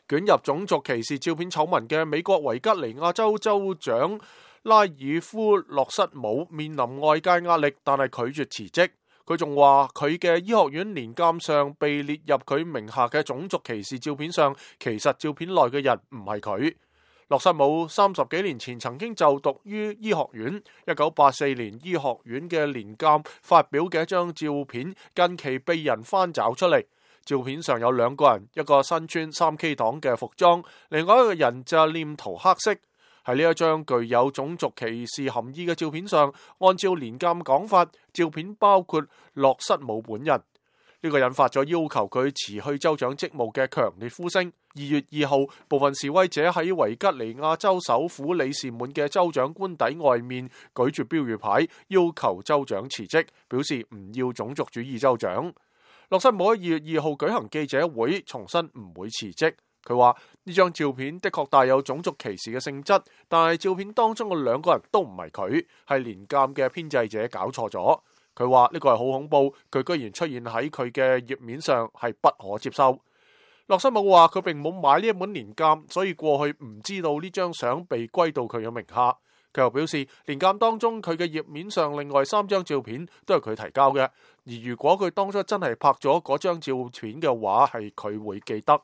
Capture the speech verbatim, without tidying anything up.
捲入種族歧視照片醜聞嘅美國維吉尼亞州州長拉爾夫洛瑟姆面臨外界壓力，但係拒絕辭職。佢仲話佢嘅醫學院年鑑上被列入佢名下嘅種族歧視照片上，其實照片內嘅人唔係佢。洛瑟姆三十幾年前曾經就讀於醫學院，一九八四年醫學院嘅年鑑發表嘅一張照片，近期被人翻找出嚟。照片上有兩個人，一個身穿三 K 黨嘅服裝，另外一個人就臉塗黑色。喺呢一張具有種族歧視含義嘅照片上，按照年鑑講法，照片包括洛瑟姆本人。呢個引發咗要求佢辭去州長職務嘅強烈呼聲。二月二號，部分示威者喺維吉尼亞州首府里士滿嘅州長官邸外面舉住標語牌，要求州長辭職，表示唔要種族主義州長。洛瑟姆喺二月二號舉行記者會，重申唔會辭職。佢話呢張照片的確帶有種族歧視嘅性質，但係照片當中嘅兩個人都唔係佢，係年鑑嘅編製者搞錯咗。佢話呢個係好恐怖，佢居然出現喺佢嘅頁面上，係不可接受。洛瑟姆話佢並冇買呢一本年鑑，所以過去唔知道呢張相被歸到佢嘅名下。佢又表示，年鑑當中佢嘅頁面上另外三張照片都係佢提交嘅，而如果佢當初真係拍咗嗰張照片嘅話，係佢會記得。